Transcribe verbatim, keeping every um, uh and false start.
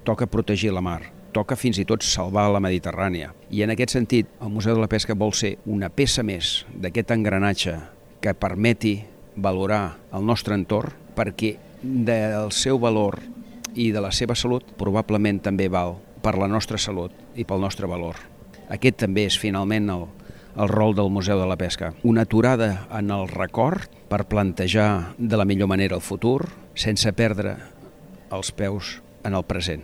toca protegir la mar, toca fins i tot salvar la Mediterrània. I en aquest sentit, el Museu de la Pesca vol ser una peça més d'aquest engranatge que permeti valorar el nostre entorn, perquè del seu valor i de la seva salut probablement també val per la nostra salut i pel nostre valor. Aquest també és finalment el, el rol del Museu de la Pesca. Una aturada en el record per plantejar de la millor manera el futur sense perdre els peus en el present.